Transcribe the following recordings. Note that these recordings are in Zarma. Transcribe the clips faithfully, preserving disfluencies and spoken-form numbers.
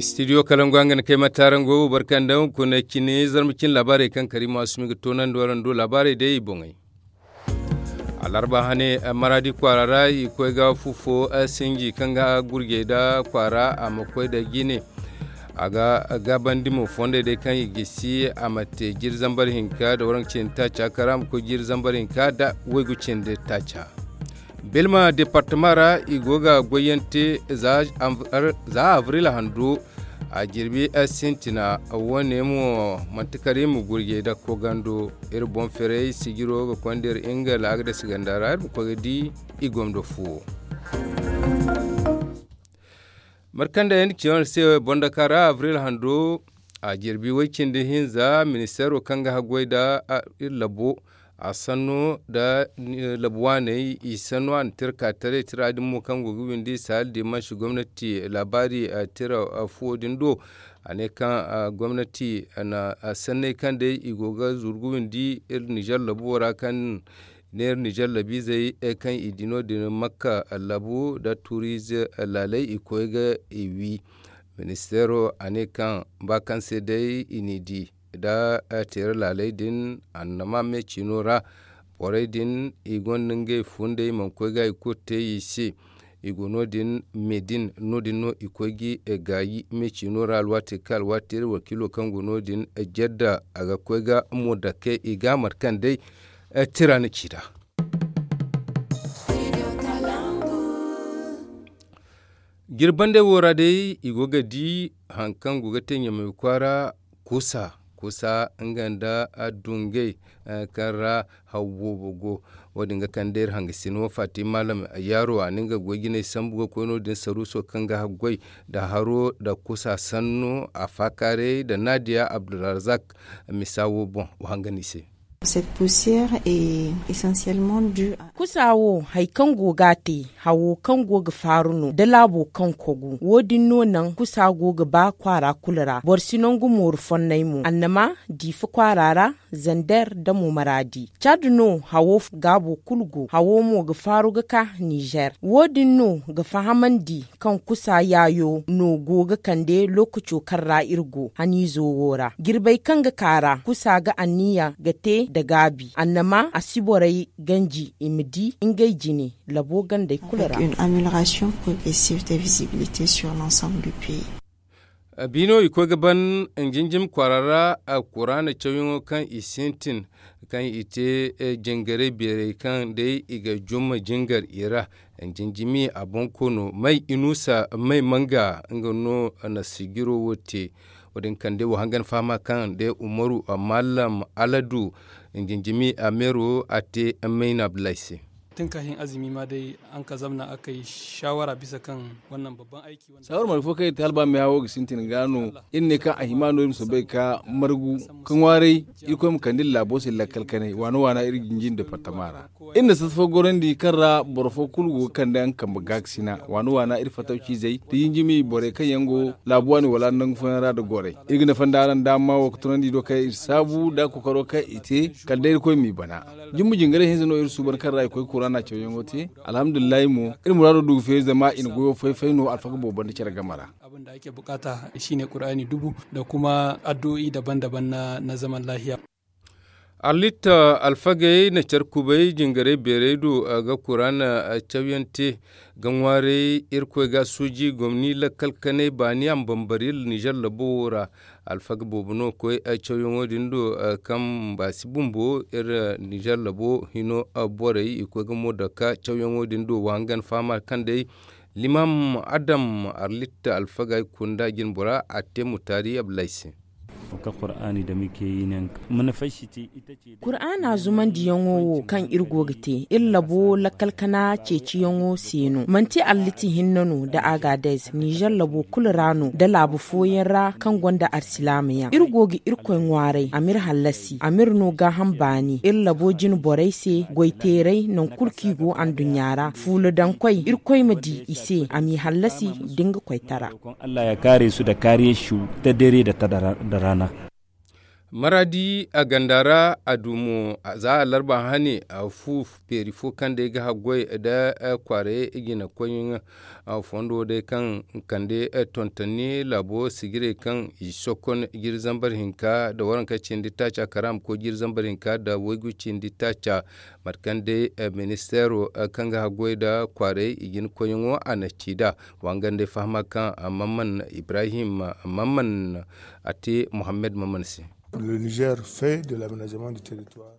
Studio kalangu a nga na kay matarango barka nda hunkuna cine zarma cine laabaarey kaŋ kariima asumi ga toonandi waraŋ do laabaarey day i boŋey. Alarba hane maradi kwaara ra i koy ga fu fo sinji kaŋ ga gurjey nda kwaara a ma koy nda jine. A ga gaabandi mo fondey day kaŋ i gisi a ma te jiri zambar hinka nda waraŋ cindi taaca kaŋ ra a ma koy jiri zambar hinka nda waygu cindi taaca. Bilma departama ra i go ga goyyaŋ te za avril hando a jirbi sintina. Wo- ne mo manti kala iri ma gurjey nda kogando iri boŋ ferey sijiro ga konda iri nga laagades ganda ra iri ma koy ga di i gomdo fuwo. Markanda yaŋ ciyaŋ se bondaka ra avril hando a jirbi way cindi hinza ministeero kaŋ ga haggoy nda iri labo a sanno nda labu waaney i sanno a na tira ka taray tira din mo kaŋ go ga windi sahel dimansi gomnati laabaari tira fuwo din do. A ne kaŋ gomnati na sanney kaŋ day i go ga zuru ga windi iri nizer labo ra kaŋ neera nizer labiizey kaŋ i di no- din makka labu nda tuuriize laaley i koy ga i wi. Ministeero a ne kaŋ ba kaŋ se day i n'i di nda teera laaley din annama me ciino ra borey din i gonda ngey fundey mana koy ga i kulu te i se. I go no- din me din no- din no i koy ga gaayi me ciino ra alwaati kaŋ alwaati iri wakiilo kaŋ go no- din jedda a ga koy ga mo dake i ga a mate kaŋ day tira na ci nd'a. Jirbandey wo ra day i go ga di hari kaŋ go ga te ɲamay kwaara kusa kusa nga nda dungey kaŋ ra haw boobo go. Wo- din ga kande iri hangasino fatima malam yaaro a na nga goy jinay sambu ga koy no- din saruuso kaŋ ga haggoy nda haro nda kusa sanno a faakaaray nda naadiya abdulrazak misa wo boŋ wa hanga no i se. Cette poussière est essentiellement due à kusa wo hari kaŋ go ga a te hawo kaŋ go ga faaru no da laabo kaŋ kogu wo- din no naŋ kusa go ga ba kwaara kulu ra boro si nangu mooru fonnay mo annama diifa kwaara ra zander da mo maraadi cad no hawo gaabo kulu go hawo mo ga faaru ga ka nizer wo- din no ga fahamandi kaŋ kusa yaayo no go ga kande lookaco kaŋ ra iri go haniizo wo ra jirbey kaŋ ga ka ra kusa ga anniya ga te nda gaabi annama a si borey ganji i ma di ngey jine labo gandey kulu ra. Avec une amélioration progressive de visibilité sur l'ensemble du pays. Biino i koy ga ban njinjim kwaara ra kuraana cawyaŋo kaŋ i sintin kaŋ i te jingarey beerey kaŋ day i ga jumma jingar i ra. Njinjimi a boŋ koono may inusa may manga nga no na sijiro wo te. Wo- din kande wo hangan fahama kaŋ day umaru mallam aladu njinjimi a meero a te mayna abdullahi se. Tun kaahin azumi ma day an ka zamna a kay shawara bisa kaŋ wannan babban aiki. Saawar marga fo kaŋ iri te hala ba meehawo ga sintin ga no iri ne kaŋ a hima no iri ma soobay ga ka margu ka ŋwaaray. Irkoy ma kande iri laabo se lakkal kanay waana waana iri jinjin departama ra. Iri na sata fo gorandi kaŋ ra boro fo kulu go ga kande nga kambe gaakasina waana waana iri fatawciizey da jinjimi borey kaŋ yaŋ go laabu waani wala nangu fooyaŋ ra nda gorey. Iri ga nafa nda araŋ daama wo ga tunandi do kaŋ iri saabu nda kookaro kaŋ i te kala day irkoy m'i bana. Jumbu jingaray hinza no iri suuban kaŋ ra i koy kuraana cawyaŋo te. Alhamdulillahi mo iri muraado du ga feeri zama i na goyo fay-fay no alfaga boobo banda care game ra. Abin da ake bukata shine qur'ani dubu da kuma addu'o'i daban-daban na zaman lahiya. Arlitta alfagey na care kubay jingaray beeray do ga kuraana cawyaŋ te ga ŋwaaray irkoy ga suuji gomni lakkal kanay baani a ma bambari nizer labo wo ra. Alfaga boobo no koy cawyaŋo din do kaŋ baasi bumbo iri nizer labo hino borey i koy ga mo dake cawyaŋo din do wa hangan fahama kaŋ day limam adam arlitta alfaga ay kunda jinbora a te mutaari abdullahi se. Ka qur'ani da muke yi ne mana fay shi te ita ce. Qur'ana zumandiyaŋo wo kaŋ iri go ga te iri labo lakkal kana ceeciyaŋo se no manti alliti hinne no da agadez nizer labo kulu ra no da laabu fooyaŋ ra kaŋ gonda arsilaama yaŋ iri go ga irkoy ŋwaaray a m'iri hallasi a m'iri no gaaham baani iri labo jine borey se goyteeray nangu kulu kaŋ i go anduɲɲa ra fuula daŋ koy irkoy ma di i se a m'i hallasi da nga koytara. Allah ya kaare su da kaariya su ta dare da ta da rana. Maraadi a ganda ra a du mo za a larba hane a fu feeri fo kaŋ day ga haggoy nda kwaaray jina koyyaŋ. Fondo day kaŋ kande tontonni laabo sijirey kaŋ i sokon jiri zambar hinka nda waranka cindi taaca karaama koy jiri zambar hinka nda waygu cindi taaca. Mate kaŋ day ministeero kaŋ ga haggoy nda kwaaray i jina koyyaŋo a na ci nd'a. Wa nga nda ay fahama kaŋ mamman ibrahim mamman a te muhammad mamman se.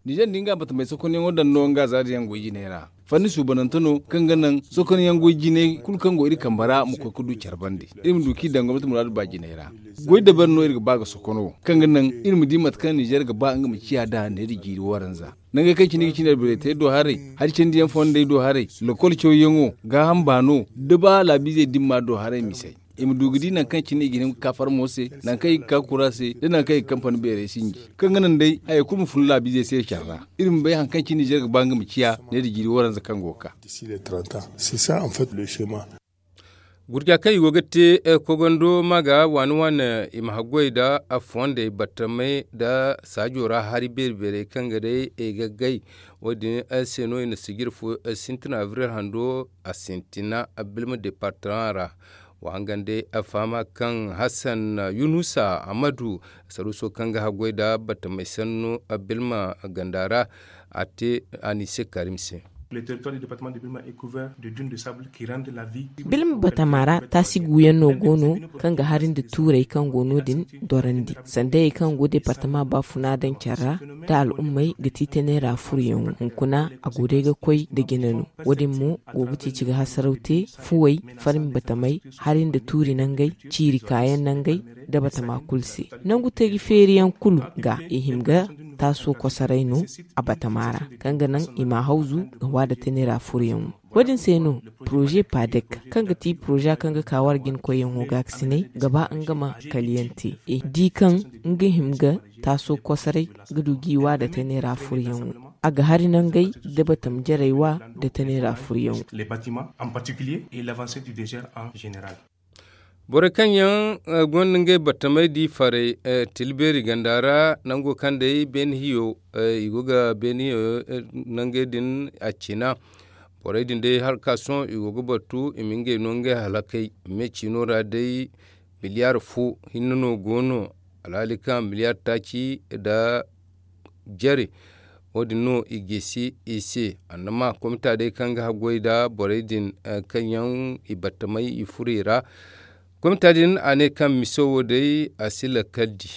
Nizer nda nga batamey sokonyaŋo daŋ no nga zaari yaŋ goy jinay ra. Fanni suubanante no kaŋ ga naŋ sokonyaŋ goy jinay kulu kaŋ go iri kambe ra ma koy ga du care bande iri ma du kaŋ i daŋ gomnati muraadu ba jinay ra. Goy dabari no iri ga ba ga sokono kaŋ ga naŋ iri ma di mate kaŋ nizer ga ba nga ma ciya nd'a neera jiiri waranza. Nangey kaŋ cine ga cine albareetey do haray hari candiyaŋ fondey do haray, lokol cawyaŋo gaaham baano da ba laabiizey dimma do haray misey. I ma du ga di nangu kaŋ cine i ga hin ga ka farmo se, nangu kaŋ i ga ka kura se nda nangu kaŋ i ga kampani beerey sinji kaŋ ga naŋ day hayey kulu ma fun laabiizey se care ra. Iri ma bay hari kaŋ cine nizer ga ba nga ma ciya ne da jiiri waranza kaŋ go ga ka. Gurja kaŋ i go ga te kogando ma ga waani waani i ma haggoy nda fondey battamey nda saajo ra hari beeri beerey kaŋ ga day i ga gay. Wo- din se no i na sijir fo sintina abril hando a sintina bilma departama ra. Wa hangan day fahama kaŋ hassan yunusa amadu saruuso kaŋ ga haggoy nda battamey sannu bilma ganda ra a te a n'i se karim se. Bilma batama ra taasi guuyaŋ no go no kaŋ ga hari nda tuurey kaŋ go no- din dorandi sandayey kaŋ go departama baafuna daŋ care ra da al'ummey ga ti teneera furoyaŋo hunkuna a go day ga koy nda jina no. Wo- din mo go ga ceeci ga hasaraw te fuwey farmi batamey hari nda tuuri nangey ciiri kaayaŋ nangey da batama kulu se. Nangu taji feeriyaŋ kulu ga i hima ga taaso kosoray no a batama ra kaŋ ga naŋ i ma hawzu ga waada teneera furoyaŋo. Wo- din se no poroze padek kaŋ ga ti poroza kaŋ ga ka war jinakoyyaŋo gaakasinay ga ba nga ma kaliyaŋ te i di kaŋ nga hima ga taaso kosoray ga du jiiwa nda teneera furoyaŋo. A ga hari nangey da batam jarey wa nda teneera furoyaŋo. Borey kaŋ yaŋ gonda ngey battamey di farey tilbeeri ganda ra nango kaŋ day beene hiyo i go ga beene hiyo nangey din a cina. Borey din day hala ka sohõ i go ga battu i ma ngey no ngey halakey me ciino ra day. Miliyaar fo hinne no go no alhaali kaŋ miliyaar taaci nda jare. Wo- din no i geesi i se annama komita day kaŋ ga haggoy nda borey din kaŋ yaŋ i battamay i furo i ra. Komita din a ne kaŋ miso wo day a si lakkal di.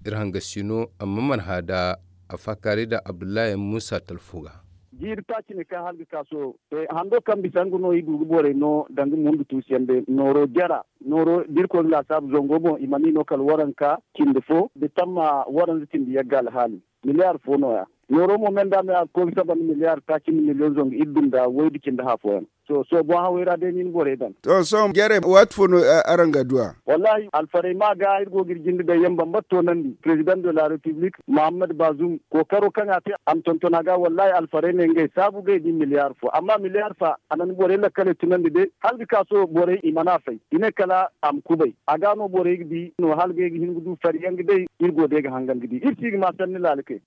Iri hangasino amma mana hã nda a faakaaray nda abdullahi muusa talfo ga. Jiiri taaci ne kaŋ hala ga ka sohõ hando kaŋ bisa nga no i du ga borey no danga mundu tuusiyaŋ day nooro jara nooro da irkoy ga laasaabu zango boŋ i mana i no kala waranka cindi fo da tamma waranza cindi yagga alhaali. Miliyaar fo no- ya nooro mo me nda me a ga koy ga saba nda miliyaar taaci nda miliyoŋ zangu iddu nda waydu cindi hã fooyaŋ. To sohõ boŋ hawey ra day no i na borey daŋ. To sohõ jare waati fo no araŋ ga du a? Wallaahi alfarey ma ga iri go ga iri jinde day yaŋ bambata toonandi president de la repiblik muhammad bazum kookaro kaŋ a te a ma tonton a ga wallaahi alfarey ne ngey saabu ga i di miliyaar fo amma miliyaar fa a na ni borey lakkaley tunandi day hala ga ka sohõ borey i mana a fay i ne kala a ma kubay. A ga no borey ga di no hala ga ay ga hin ga du fari yaŋ ga day iri go day ga hangan ga di iri si ga ma sanni laala kay.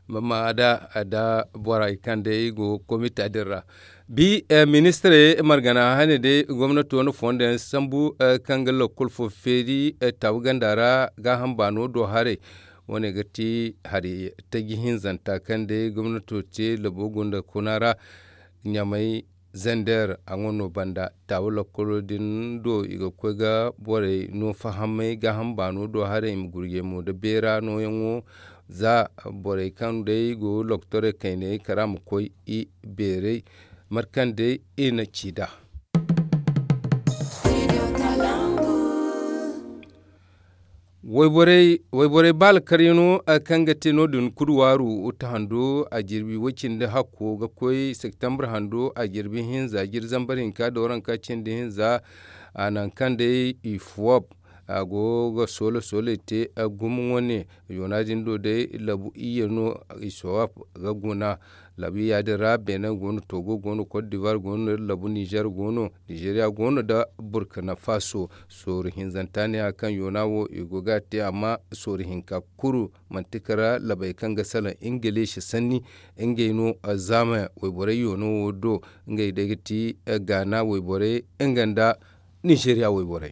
Mama da da borey kaŋ day go komita din ra bi ministirey margana hane day gomnato na fondo yaŋ sambu kaŋ ga lakkol fo feeri tabu ganda ra gaaham baano do haray. Wo- ne ga ti hari taji hinzanta kaŋ day gomnato te labo gunda kuna ra ɲamay zander a ŋwa no banda taaba lakkolo din do i ga koy ga borey no fahamay gaaham baano do haray i ma gurjey mo nda beera nooyaŋo. Za borey kaŋ day go loktorey kayney kara ma koy i beerey mate kaŋ day i na ci nd'a. Wayborey baala karyaŋo kaŋ ga te no- din kulu waaru tahando a jirbi way-cindi hakko ga koy septembre hando a jirbi hinza jiri zambar hinka da waranka cindi hinza. A naŋ kaŋ day i fuwab a go ga soola soolay te gumo wane. Yoona din do day labu iyye no i sowaf ga guna. Labu iyya din ra benin go no, togo go no, cote d'ivoire go no, labu nizer go no, nizeriya go no nda burkina faso. Sooru hinzanta ne ya kaŋ yoona wo i go ga a te amma sooru hinka kulu manti kara labey kaŋ ga salaŋ ingiliisi sanni. Ngey no zaama wayborey yoona wo do. Ngey day ga ti gaana wayborey nga nda nizeriya wayborey.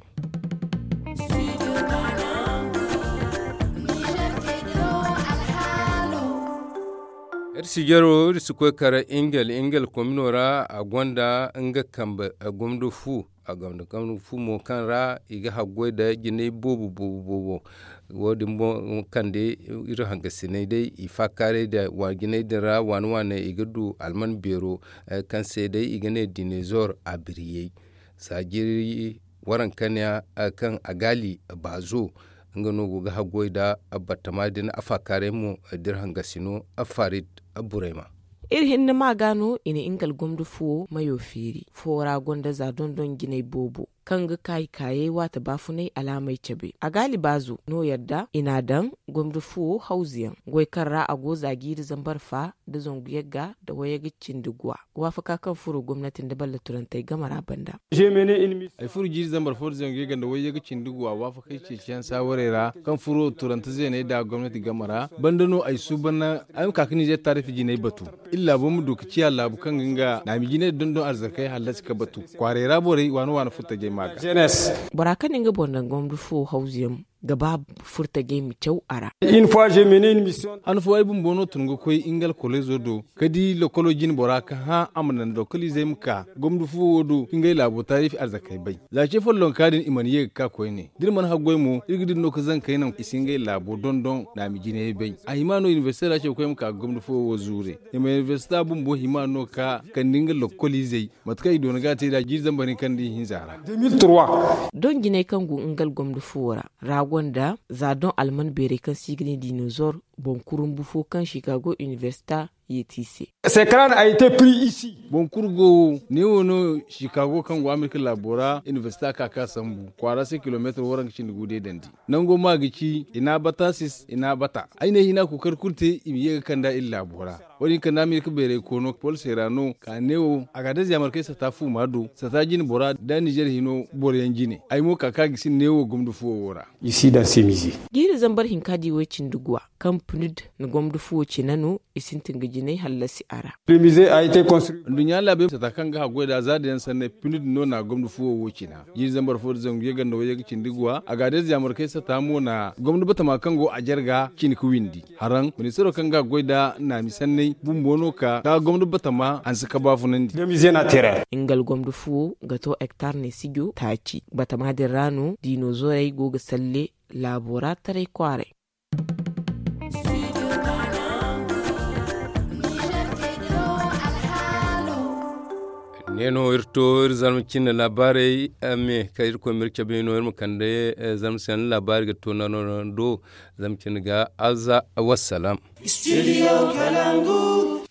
Iri si jaro iri si koy kara ingel ingel komino ra a gonda nga kambe gomdo fu. A gonda kambe fu mo kaŋ ra i ga haggoy nda jinay boobo boobo boobo. Wo- din boŋ kande iri hangasinay day i faakaaray nda waajinay din ra waane waane i ga du alman beero kaŋ se day i ga ne dinezor a biriyey. Saajiri waranka ne kaŋ a gaali baazo nga no go ga haggoy nda batama din a faakaaray mo. Dirham gasino farid burayma. Iri hinne ma ga no i na nga algomdo fuwo mayo feeri fo ra gonda za dondon jinay boobo kaŋ ga kaayi kaayey waate baafunay alaamey cabe a gaali baazo no yadda i n'a daŋ gomdo fuwo hawzuyaŋ goy kaŋ ra a go za jiiri zambar fa nda zangu yagga nda wayyaga cindi guwa waafaka kaŋ furo gomnati nda ballaturantey game ra banda. Ay furo jiiri zambar fo nda zangu yagga nda wayyaga cindi guwa waafakey ceeciyaŋ saawarey ra kaŋ furo turante zeeney nda gomnati game ra banda no ay suuban ay ma ka ga nizer taarifi jinay batu. Iri laabo ma du ga ciya laabu kaŋ ga nga naami jinay dondon arzakey hallasi ga batu. Kwaaray ra borey waane waane furtajey ma ga. Bora kaŋ na nga boŋ daŋ gomdo fo hawzuyaŋ ga ba furtajey ma caw a ra. Han fo ay bumbo no tun ga koy nga alkolezo do ga di lokolo jine bora ga hã a ma naŋ lokoliizey ma ka gomdo fuwo wo do ga ngey laabo taarifi arzakey bay. Za ce follonka din i mana ye ga ka koyne da iri mana haggoy mo iri ga dira no ga zankey naŋ i si ngey laabo dondon naami jinayey bay. A hima no inibersite ra ce ga koy ma ka ga gomdo fuwo wo zuure. Inibersite bumbo hima no ga ka ga kande nga lokoliizey mate kaŋ i doona ga a te nd'a jiiri zambar hinka nda ihinza ra. Don jinay kaŋ go nga algomdo fuwo ra ra gonda za don alman beerey kaŋ se i ga ne dinozor boŋ kurumbu fo kaŋ chicago inibersita yeeti i se. Boŋ kulu go wo neewo no chicago kaŋ go amerika laabo ra inibersita ka ka sambu kwaara se kilomeetir waranka cindi gu day dandi. Nango ma ga ci inaabatasis inaabata ay ne hina kookari kulu te i ma ye ga kand'a iri laabo ra. Wo- din kand'a amerika beeray koono pol se ra no ka neewo a ga a daze a markay sata fuuma do sata jine bora nda nizer hino boro yaŋ jine ay mo ka ka gisi neewo gomdo fuwo wo ra. Jiiri zambar hinka di way-cindi guwa kaŋ pnud na gomdo fuwo cina no i sintin ga jinay hallasi a ra. Nduɲɲa laabey sata kaŋ ga haggoy nd'a za da yaŋ sanney pnud no na gomdo fuwo wo cina. Jiiri zambar fo nda zangu yaganda wayyaga cindi guwa a ga a day ziyaamarkey sata mo na gomdo batama kaŋ go a jarga cine ga windi. Haraŋ ministaro kaŋ ga goy nda naami sanney bumbo no ka ka gomdo batama hanse ka baafunandi. Nga algomdo fuwo ga to hektar ne sijo taaci batama din ra no diino zorey go ga salle laabo ra taray kwaaray. Ne no iri to iri zarma cine laabaarey me kaŋ iri koy ma iri cabe no iri ma kande zarma se laabaari ga to nano do. Zarma cine ga azza wassalam. Studio kalangu.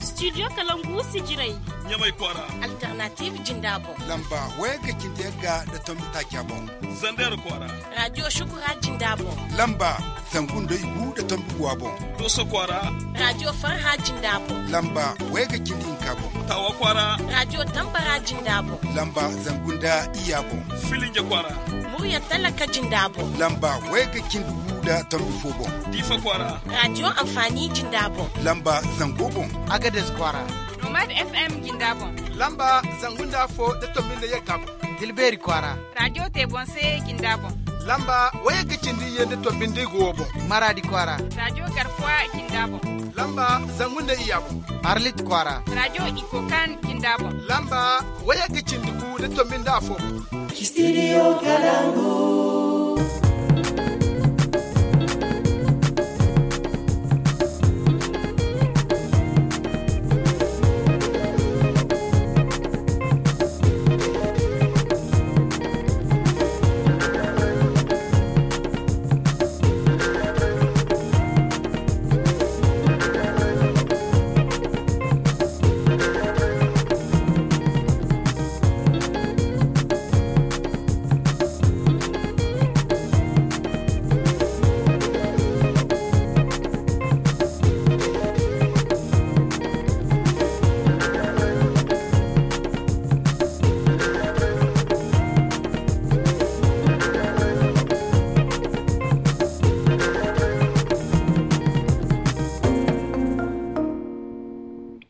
Studio kalangu sijirey. Ɲamay kwaara. Alternative jinda boŋ. Lamba wayga cindi yagga da tombi taaca boŋ. Zander kwaara. Radio shukura jinda boŋ. Lamba zangu nda igu da tombi guwa boŋ. Doso kwaara. Radio farha jinda boŋ. Lamba wayga cindi hinka boŋ. Tawa kwaara. Radio tambara jinda boŋ. Lamba zangu nda iya boŋ. Filinja kwaara. Murya talaka jinda boŋ. Lamba wayga cindi gu da tombi fo boŋ. Diifa kwaara. Radio amfani jinda boŋ. Lamba zango boŋ. Agades kwaara. Nomad fm jinda boŋ. Lamba zangu nda fo da tombi nda yagga boŋ. Dilbeeri kwaara. Radio tebonse jinda boŋ. Lamba wayagga cindi iyye nda tombi nda igu wo boŋ. Maraadi kwaara. Radio garkuwa jinda boŋ. Lamba zangu nda iya boŋ. Arlit kwaara. Radio ikokan jinda boŋ. Lamba wayagga cindi gu nda tombi nda afo boŋ. Studio kalangu.